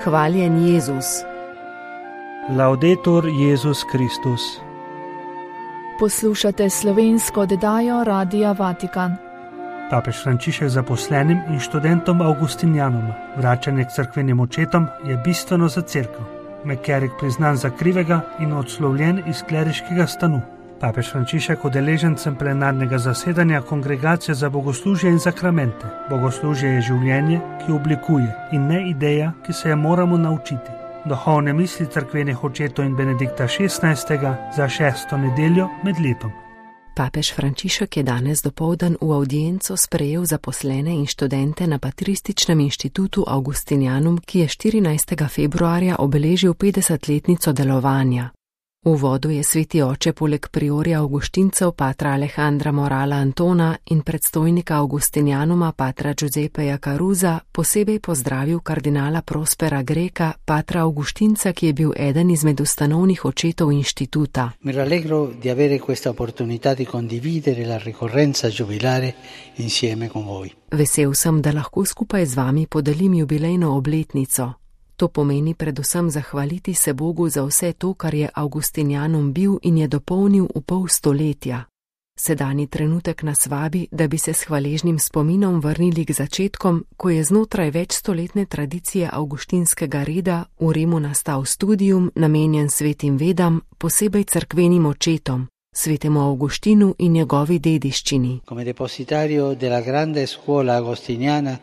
Hvaljen Jezus. Laudetur Jezus Kristus. Poslušate slovensko oddajo Radia Vatikan. Papež Frančišek zaposlenim in študentom Augustinijanoma vračanje k cerkvenim očetom je bistveno za cerkev. Mekerik priznan za krivega in odslovljen iz kleriškega stanu. Papež Frančišek udeležencem plenarnega zasedanja Kongregacije za bogoslužje in zakramente. Bogoslužje je življenje, ki oblikuje, in ne ideja, ki se je moramo naučiti. Duhovne misli cerkvenih očetov in Benedikta XVI. Za 6. nedeljo med letom. Papež Frančišek je danes dopoldan v avdienco sprejel zaposlene in študente na Patrističnem inštitutu Augustinijanum, ki je 14. februarja obeležil 50-letnico delovanja. V uvodu je sveti oče poleg priorja Avguštincev patra Alejandra Morala Antona in predstojnika Augustinijanuma patra Giuseppeja Caruza posebej pozdravil kardinala Prospera Greka, patra Avguštinca, ki je bil eden izmed ustanovnih očetov inštituta. Mi rallegro di avere questa opportunità di condividere la ricorrenza giubilare insieme con voi. Vesel sem, da lahko skupaj z vami podelim jubilejno obletnico. To pomeni predvsem zahvaliti se Bogu za vse to, kar je Augustinijanum bil in je dopolnil v pol stoletja. Sedajni trenutek nas vabi, da bi se s hvaležnim spominom vrnili k začetkom, ko je znotraj večstoletne tradicije avguštinskega reda v Rimu nastal studium, namenjen svetim vedam, posebej cerkvenim očetom, svetemu Avguštinu in njegovi dediščini. Come depositario della grande scuola agostiniana,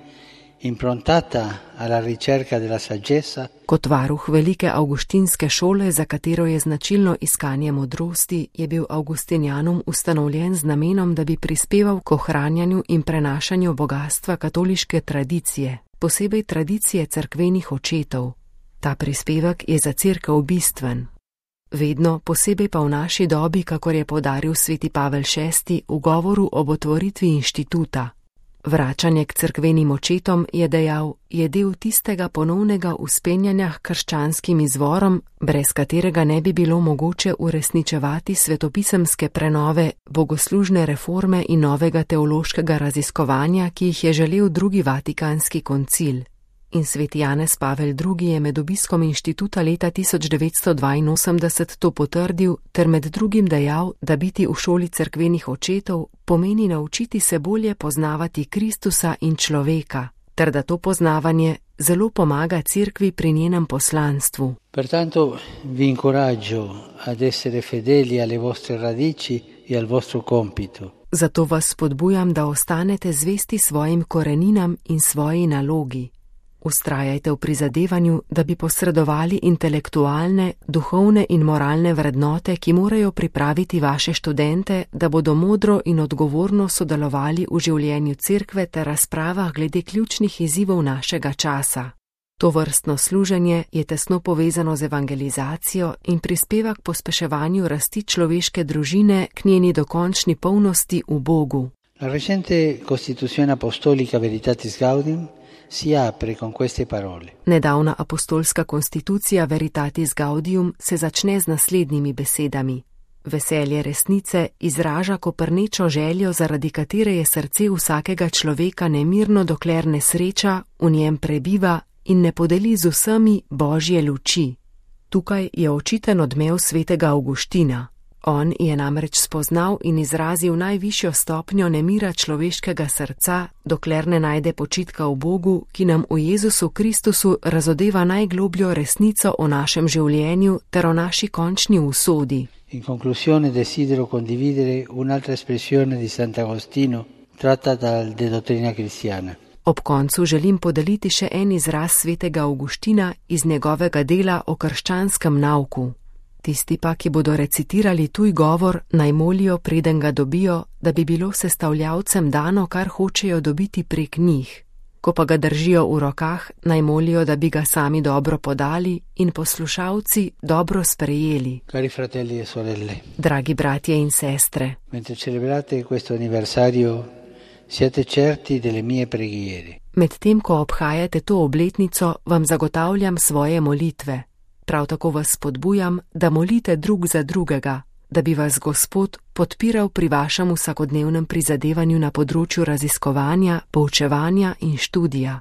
improntata alla ricerca della saggezza. Kot varuh velike avguštinske šole, za katero je značilno iskanje modrosti, je bil Augustinijanum ustanovljen z namenom, da bi prispeval k ohranjanju in prenašanju bogatstva katoliške tradicije, posebej tradicije cerkvenih očetov. Ta prispevek je za cerkev bistven. Vedno, posebej pa v naši dobi, kakor je poudaril sveti Pavel VI v govoru ob otvoritvi inštituta. Vračanje k cerkvenim očetom, je dejal, je del tistega ponovnega vzpenjanja k krščanskim izvorom, brez katerega ne bi bilo mogoče uresničevati svetopisemske prenove, bogoslužne reforme in novega teološkega raziskovanja, ki jih je želel drugi Vatikanski koncil. In sveti Janez Pavel II. Je med obiskom inštituta leta 1982 to potrdil ter med drugim dejal, da biti v šoli cerkvenih očetov pomeni naučiti se bolje poznavati Kristusa in človeka, ter da to poznavanje zelo pomaga cerkvi pri njenem poslanstvu. Pertanto vi incoraggio ad essere fedeli alle vostre radici e al vostro compito. Zato vas spodbujam, da ostanete zvesti svojim koreninam in svoji nalogi. Vztrajajte v prizadevanju, da bi posredovali intelektualne, duhovne in moralne vrednote, ki morajo pripraviti vaše študente, da bodo modro in odgovorno sodelovali v življenju cerkve ter razpravah glede ključnih izzivov našega časa. To vrstno služenje je tesno povezano z evangelizacijo in prispeva k pospeševanju rasti človeške družine k njeni dokončni polnosti v Bogu. La recente Costituzione Apostolica Veritatis Gaudium si apre con queste parole. Nedavna apostolska konstitucija Veritatis Gaudium se začne z naslednjimi besedami. Veselje resnice izraža koprnečo željo, zaradi katere je srce vsakega človeka nemirno, dokler ne sreča, v njem prebiva in ne podeli z vsemi Božje luči. Tukaj je očiten odmev svetega Avguština. On je namreč spoznal in izrazil najvišjo stopnjo nemira človeškega srca, dokler ne najde počitka v Bogu, ki nam v Jezusu Kristusu razodeva najglobljo resnico o našem življenju ter o naši končni usodi. In conclusione desidero condividere un'altra espressione di Sant'Agostino tratta De Dottrina Cristiana. Ob koncu želim podeliti še en izraz svetega Avguština iz njegovega dela o krščanskem nauku. Tisti pa, ki bodo recitirali tuj govor, naj molijo, preden ga dobijo, da bi bilo sestavljavcem dano, kar hočejo dobiti prek njih. Ko pa ga držijo v rokah, naj molijo, da bi ga sami dobro podali in poslušalci dobro sprejeli. Cari fratelli e sorelle. Dragi bratje in sestre. Mentre celebrate questo anniversario, siete certi delle mie preghiere. Medtem, ko obhajate to obletnico, vam zagotavljam svoje molitve. Prav tako vas spodbujam, da molite drug za drugega, da bi vas Gospod podpiral pri vašem vsakodnevnem prizadevanju na področju raziskovanja, poučevanja in študija.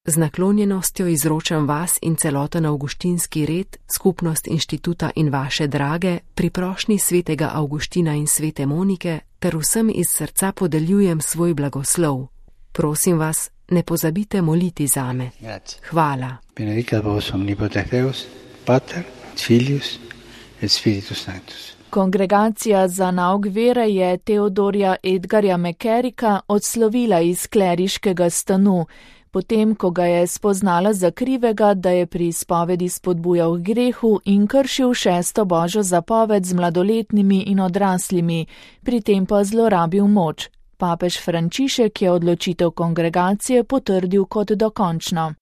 Z naklonjenostjo izročam vas in celoten avguštinski red, skupnost inštituta in vaše drage, pri prošnji svetega Avguština in svete Monike, ter vsem iz srca podeljujem svoj blagoslov. Prosim vas, ne pozabite moliti zame. Hvala. Benedicat vos omnipotens Deus, Pater, Filius et Spiritus Sanctus. Kongregacija za nauk vere je Teodorja Edgarja McCarricka odslovila iz kleriškega stanu, potem ko ga je spoznala za krivega, da je pri izpovedi spodbujal k grehu in kršil 6. Božjo zapoved z mladoletnimi in odraslimi, pri tem pa zlorabil moč. Papež Frančišek je odločitev kongregacije potrdil kot dokončno.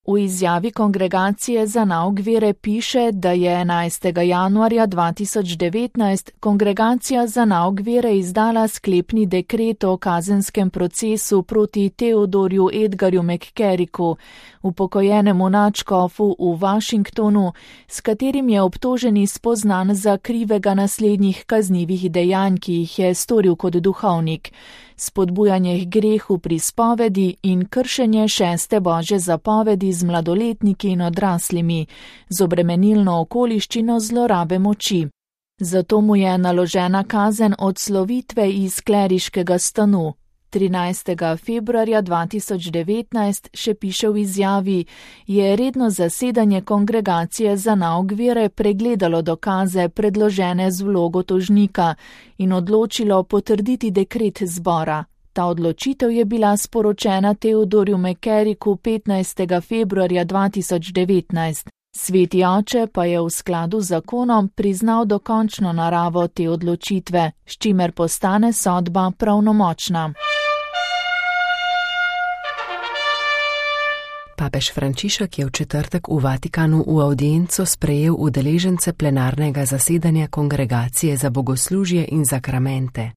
V izjavi Kongregacije za nauk vere piše, da je 11. januarja 2019 Kongregacija za nauk vere izdala sklepni dekret o kazenskem procesu proti Teodorju Edgarju McCarricku, upokojenemu nadškofu v Washingtonu, s katerim je obtoženi spoznan za krivega naslednjih kaznivih dejanj, ki jih je storil kot duhovnik. Spodbujanje k grehu pri spovedi in kršenje 6. Božje zapovedi z mladoletniki in odraslimi, z obremenilno okoliščino zlorabe moči. Zato mu je naložena kazen odslovitve iz kleriškega stanu. 13. februarja 2019, še piše v izjavi, je redno zasedanje Kongregacije za nauk vere pregledalo dokaze predložene z vlogo tožnika in odločilo potrditi dekret zbora. Ta odločitev je bila sporočena Teodorju McCarricku 15. februarja 2019. Sveti oče pa je v skladu z zakonom priznal dokončno naravo te odločitve, s čimer postane sodba pravnomočna. Papež Frančišek je v četrtek v Vatikanu v avdienco sprejel udeležence plenarnega zasedanja Kongregacije za bogoslužje in zakramente.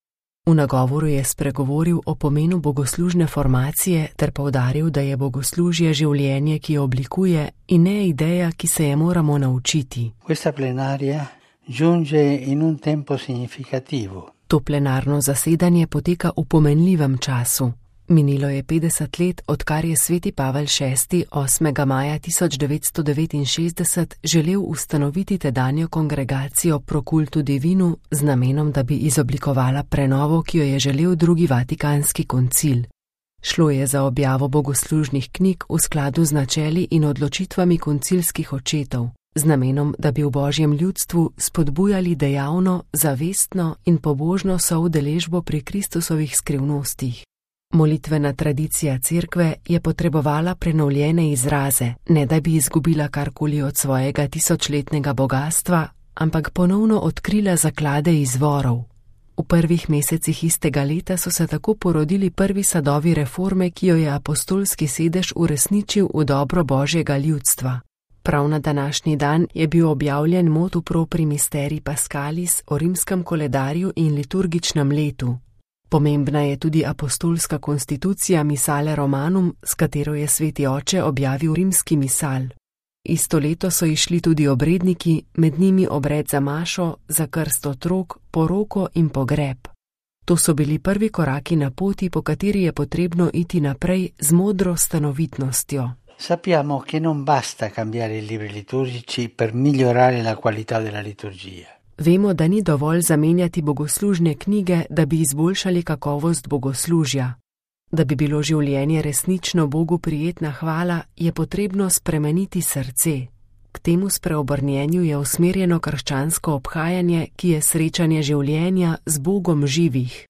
V nagovoru je spregovoril o pomenu bogoslužne formacije ter poudaril, da je bogoslužje življenje, ki jo oblikuje, in ne ideja, ki se je moramo naučiti. Questa plenaria giunge in un tempo significativo. To plenarno zasedanje poteka v pomenljivem času. Minilo je 50 let, odkar je sveti Pavel VI. 8. maja 1969 želel ustanoviti tedanjo kongregacijo Pro Cultu Divinu z namenom, da bi izoblikovala prenovo, ki jo je želel drugi Vatikanski koncil. Šlo je za objavo bogoslužnih knjig v skladu z načeli in odločitvami koncilskih očetov, z namenom, da bi v Božjem ljudstvu spodbujali dejavno, zavestno in pobožno soudeležbo pri Kristusovih skrivnostih. Molitvena tradicija cerkve je potrebovala prenovljene izraze, ne da bi izgubila karkoli od svojega tisočletnega bogastva, ampak ponovno odkrila zaklade izvorov. V prvih mesecih istega leta so se tako porodili prvi sadovi reforme, ki jo je apostolski sedež uresničil v dobro Božjega ljudstva. Prav na današnji dan je bil objavljen motu propri misteri Pascalis o rimskem koledarju in liturgičnem letu. Pomembna je tudi apostolska konstitucija Missale Romanum, s katero je sveti oče objavil rimski misal. Isto leto so išli tudi obredniki, med njimi obred za mašo, za krst otrok, poroko in pogreb. To so bili prvi koraki na poti, po kateri je potrebno iti naprej z modro stanovitnostjo. Sappiamo che non basta cambiare i libri liturgici per migliorare la qualità della liturgia. Vemo, da ni dovolj zamenjati bogoslužne knjige, da bi izboljšali kakovost bogoslužja. Da bi bilo življenje resnično Bogu prijetna hvala, je potrebno spremeniti srce. K temu spreobrnjenju je usmerjeno krščansko obhajanje, ki je srečanje življenja z Bogom živih.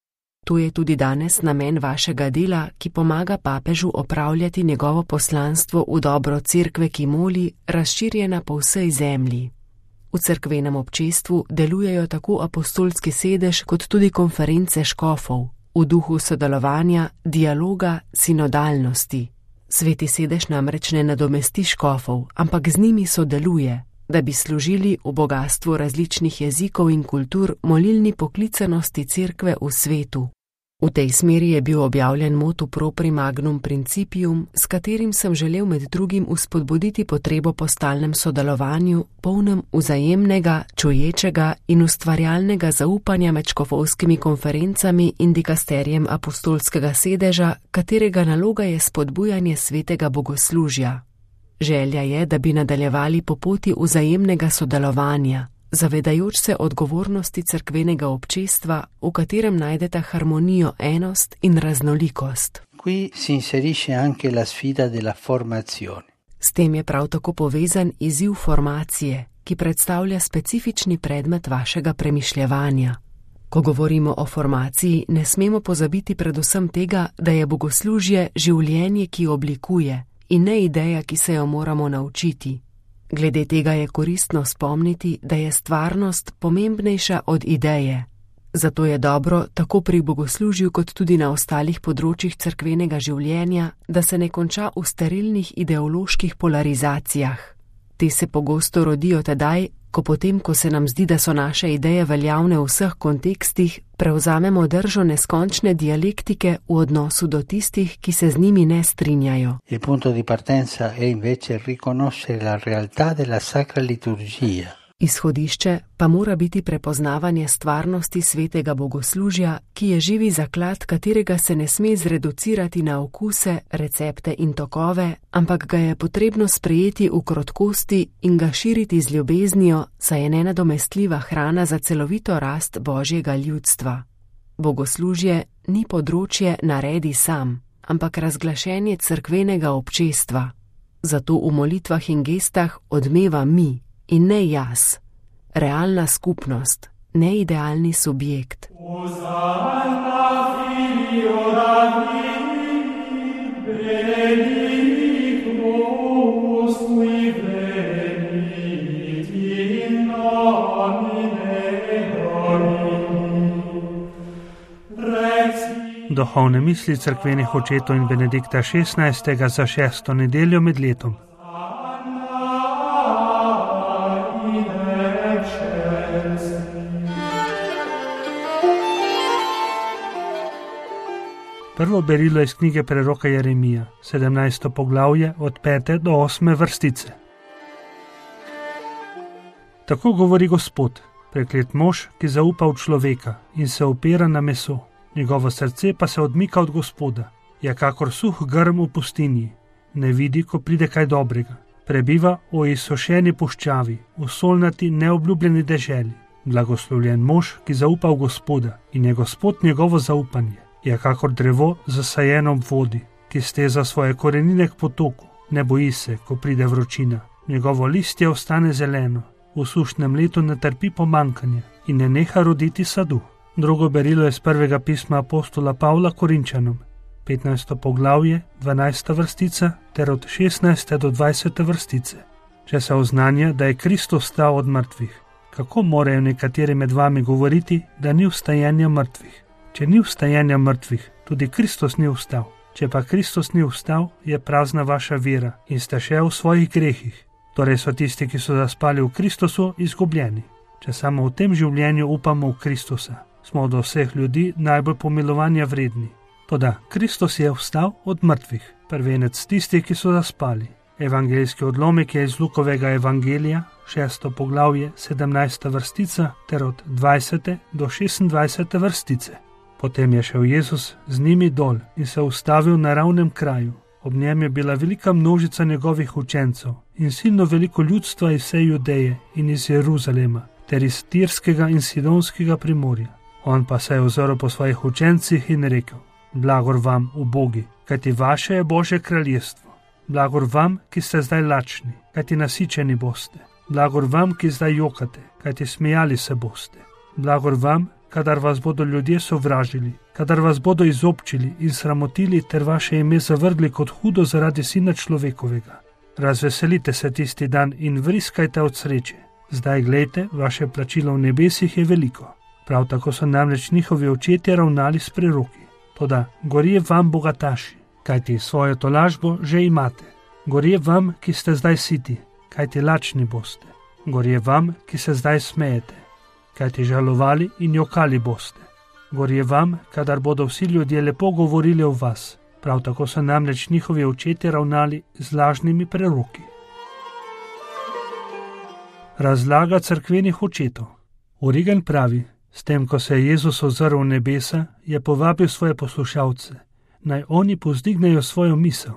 To je tudi danes namen vašega dela, ki pomaga papežu opravljati njegovo poslanstvo v dobro cerkve, ki moli, razširjena po vsej zemlji. V cerkvenem občestvu delujejo tako apostolski sedež kot tudi konference škofov, v duhu sodelovanja, dialoga, sinodalnosti. Sveti sedež namreč ne nadomesti škofov, ampak z njimi sodeluje, da bi služili v bogastvu različnih jezikov in kultur molilni poklicanosti cerkve v svetu. V tej smeri je bil objavljen motu propri magnum principium, s katerim sem želel med drugim uspodbuditi potrebo po stalnem sodelovanju, polnem vzajemnega, čuječega in ustvarjalnega zaupanja med škofovskimi konferencami in dikasterijem apostolskega sedeža, katerega naloga je spodbujanje svetega bogoslužja. Želja je, da bi nadaljevali po poti vzajemnega sodelovanja, zavedajoč se odgovornosti cerkvenega občestva, v katerem najdeta harmonijo enost in raznolikost. Qui si inserisce anche la sfida della formazione. S tem je prav tako povezan izziv formacije, ki predstavlja specifični predmet vašega premišljevanja. Ko govorimo o formaciji, ne smemo pozabiti predvsem tega, da je bogoslužje življenje, ki oblikuje, in ne ideja, ki se jo moramo naučiti. Glede tega je koristno spomniti, da je stvarnost pomembnejša od ideje. Zato je dobro, tako pri bogoslužju kot tudi na ostalih področjih cerkvenega življenja, da se ne konča v sterilnih ideoloških polarizacijah. Te se pogosto rodijo tedaj, ko se nam zdi, da so naše ideje veljavne v vseh kontekstih, prevzamemo držo neskončne dialektike v odnosu do tistih, ki se z njimi ne strinjajo. Il punto di partenza è invece riconoscere la realtà della sacra liturgia. Izhodišče pa mora biti prepoznavanje stvarnosti svetega bogoslužja, ki je živi zaklad, katerega se ne sme zreducirati na okuse, recepte in tokove, ampak ga je potrebno sprejeti v krotkosti in ga širiti z ljubeznijo, saj je nenadomestljiva hrana za celovito rast Božjega ljudstva. Bogoslužje ni področje naredi sam, ampak razglašenje cerkvenega občestva. Zato v molitvah in gestah odmeva mi, in ne jaz, realna skupnost, ne idealni subjekt. Duhovne misli cerkvenih očetov in Benedikta XVI. Za 6. nedeljo med letom. Prvo berilo iz knjige preroka Jeremija, 17. poglavje od 5. do 8. vrstice. Tako govori Gospod, preklet mož, ki zaupa v človeka in se opira na meso. Njegovo srce pa se odmika od Gospoda, je kakor suh grm v pustinji, ne vidi, ko pride kaj dobrega. Prebiva o izsušeni puščavi, v solnati neobljubljeni deželi. Blagoslovljen mož, ki zaupa v Gospoda in je Gospod njegovo zaupanje. Je kakor drevo zasajeno v vodi, ki steza svoje korenine k potoku, ne boji se, ko pride vročina. Njegovo listje ostane zeleno, v sušnem letu ne trpi pomankanje in ne neha roditi sadu. Drugo berilo je z prvega pisma apostola Pavla Korinčanom, 15. poglavje, 12. vrstica ter od 16. do 20. vrstice. Če se oznanja, da je Kristus vstal od mrtvih, kako morajo nekateri med vami govoriti, da ni vstajenja mrtvih? Če ni vstajenja mrtvih, tudi Kristus ni vstal. Če pa Kristus ni vstal, je prazna vaša vera in ste še v svojih grehih. Torej so tisti, ki so zaspali v Kristusu, izgubljeni. Če samo v tem življenju upamo v Kristusa, smo od vseh ljudi najbolj pomilovanja vredni. Toda Kristus je vstal od mrtvih, prvenec tistih, ki so zaspali. Evangeljski odlomek je iz Lukovega evangelija, 6. poglavje, 17. vrstica ter od 20. do 26. vrstice. Potem je šel Jezus z njimi dol in se ustavil na ravnem kraju. Ob njem je bila velika množica njegovih učencev in silno veliko ljudstva iz vse Judeje in iz Jeruzalema, ter iz Tirskega in Sidonskega primorja. On pa se je ozrl po svojih učencih in rekel: Blagor vam, ubogi, kajti vaše je Božje kraljestvo. Blagor vam, ki ste zdaj lačni, kajti nasičeni boste. Blagor vam, ki zdaj jokate, kajti smejali se boste. Blagor vam, kadar vas bodo ljudje sovražili, kadar vas bodo izobčili in sramotili ter vaše ime zavrgli kot hudo zaradi Sina človekovega. Razveselite se tisti dan in vriskajte od sreče. Zdaj glejte, vaše plačilo v nebesih je veliko. Prav tako so namreč njihovi očetje ravnali s preroki. Toda gorje vam, bogataši, kajti svojo tolažbo že imate. Gorje vam, ki ste zdaj siti, kajti lačni boste. Gorje vam, ki se zdaj smejete, kajti žalovali in jokali boste. Gorje vam, kadar bodo vsi ljudje lepo govorili o vas. Prav tako so namreč njihovi očetje ravnali z lažnimi preroki. Razlaga cerkvenih očetov. Origen pravi, s tem, ko se je Jezus ozrl v nebesa, je povabil svoje poslušalce, naj oni povzdignejo svojo misel.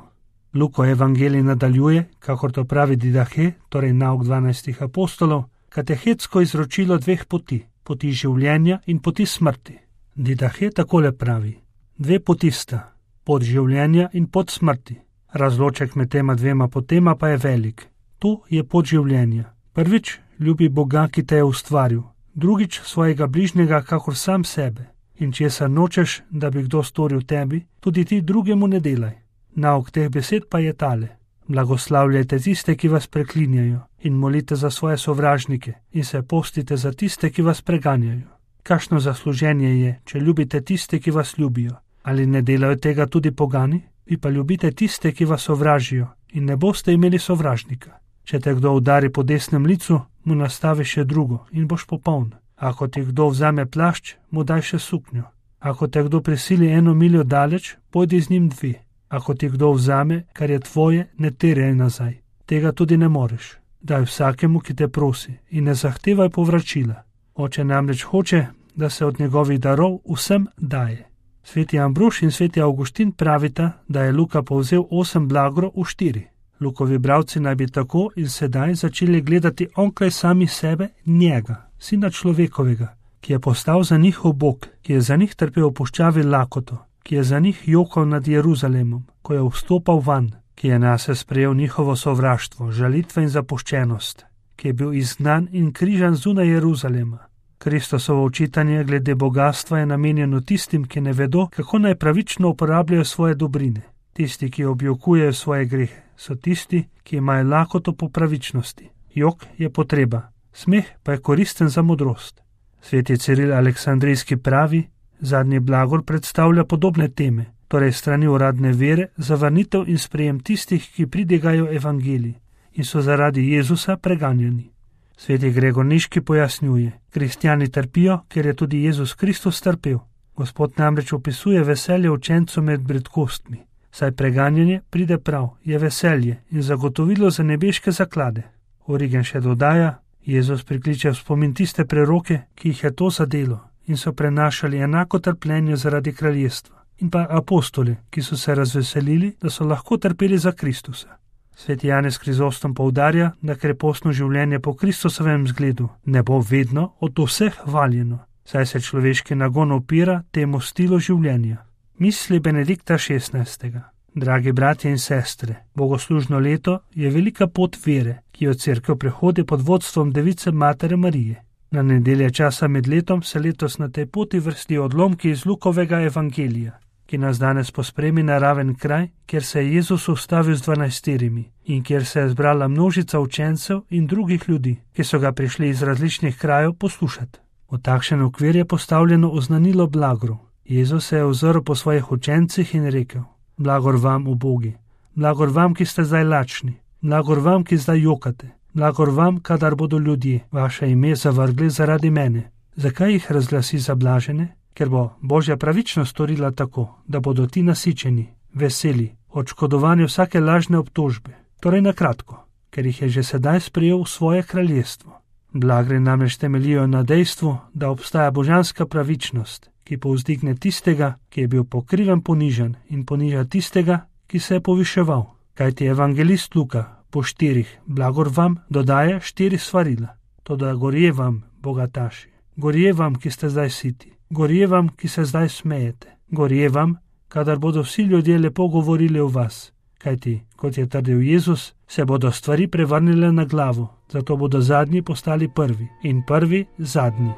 Luko evangelij nadaljuje, kakor to pravi Didahe, torej nauk 12 apostolov, katehetsko izročilo dveh poti, poti življenja in poti smrti. Didahe takole pravi, dve poti sta, pot življenja in pot smrti. Razloček med tema dvema potema pa je velik. To je pot življenja. Prvič, ljubi Boga, ki te je ustvaril, drugič svojega bližnjega kakor sam sebe. In česar nočeš, da bi kdo storil tebi, tudi ti drugemu ne delaj. Nauk teh besed pa je tale. Blagoslavljajte tiste, ki vas preklinjajo, in molite za svoje sovražnike, in se postite za tiste, ki vas preganjajo. Kakšno zasluženje je, če ljubite tiste, ki vas ljubijo? Ali ne delajo tega tudi pogani? Vi pa ljubite tiste, ki vas sovražijo, in ne boste imeli sovražnika. Če te kdo udari po desnem licu, mu nastavi še drugo in boš popoln. Ako ti kdo vzame plašč, mu daj še suknjo. Ako te kdo prisili 1 miljo daleč, pojdi z njim 2. Ako ti kdo vzame, kar je tvoje, ne terjaj nazaj. Tega tudi ne moreš. Daj vsakemu, ki te prosi, in ne zahtevaj povračila. Oče namreč hoče, da se od njegovih darov vsem daje. Sveti Ambrož in sveti Avguštin pravita, da je Luka povzel 8 blagorov v 4. Lukovi bralci naj bi tako in sedaj začeli gledati onkraj sami sebe njega, sina človekovega, ki je postal za njih Bog, ki je za njih trpel v puščavi lakoto, ki je za njih jokal nad Jeruzalemom, ko je vstopal van, ki je nase sprejel njihovo sovraštvo, žalitve in zapuščenost, ki je bil izgnan in križan zunaj Jeruzalema. Kristosovo učitanje glede bogastva je namenjeno tistim, ki ne vedo, kako naj pravično uporabljajo svoje dobrine. Tisti, ki objokujejo svoje grehe, so tisti, ki imajo lakoto po pravičnosti. Jok je potreba, smeh pa je koristen za modrost. Sveti Ciril Aleksandrijski pravi, zadnji blagor predstavlja podobne teme, torej strani uradne vere, zavrnitev in sprejem tistih, ki pridigajo evangelij in so zaradi Jezusa preganjani. Sveti Gregor Niški pojasnjuje, kristjani trpijo, ker je tudi Jezus Kristus trpel. Gospod namreč opisuje veselje učencev med bredkostmi. Saj preganjanje pride prav, je veselje in zagotovilo za nebeške zaklade. Origen še dodaja, Jezus prikliče v spomin tiste preroke, ki jih je to zadelo in so prenašali enako trpljenje zaradi kraljestva, in pa apostoli, ki so se razveselili, da so lahko trpeli za Kristusa. Sveti Janez Krizostom poudarja, da krepostno življenje po Kristusovem zgledu ne bo vedno od vseh hvaljeno, saj se človeški nagon opira temu stilu življenja. Misli Benedikta XVI. Dragi bratje in sestre, bogoslužno leto je velika pot vere, ki jo cerkev prehodi pod vodstvom Device Matere Marije. Na nedelje časa med letom se letos na tej poti vrstijo odlomki iz Lukovega evangelija, ki nas danes pospremi na raven kraj, kjer se je Jezus ustavil z 12 in kjer se je zbrala množica učencev in drugih ljudi, ki so ga prišli iz različnih krajev poslušati. V takšen okvir je postavljeno oznanilo blagorov. Jezus se je ozrl po svojih učencih in rekel, blagor vam, ubogi, blagor vam, ki ste zdaj lačni, blagor vam, ki zdaj jokate, blagor vam, kadar bodo ljudje vaše ime zavrgli zaradi mene. Zakaj jih razglasi za blažene? Ker bo Božja pravičnost storila tako, da bodo ti nasičeni, veseli, odškodovani vsake lažne obtožbe. Torej na kratko, ker jih je že sedaj sprejel v svoje kraljestvo. Blagre namreč temeljijo na dejstvu, da obstaja božanska pravičnost, ki povzdigne tistega, ki je bil pokriven ponižan in poniža tistega, ki se je poviševal. Kajti evangelist Luka po 4 blagor vam dodaja 4 svarila. Toda gorje vam, bogataši, gorje vam, ki ste zdaj siti, gorje vam, ki se zdaj smejete, gorje vam, kadar bodo vsi ljudje lepo govorili o vas. Kajti, kot je trdil Jezus, se bodo stvari prevrnile na glavo, zato bodo zadnji postali prvi in prvi zadnji.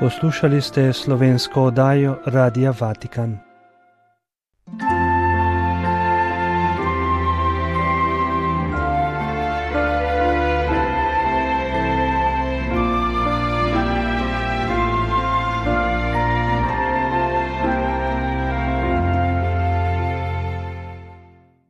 Poslušali ste slovensko oddajo Radia Vatikan.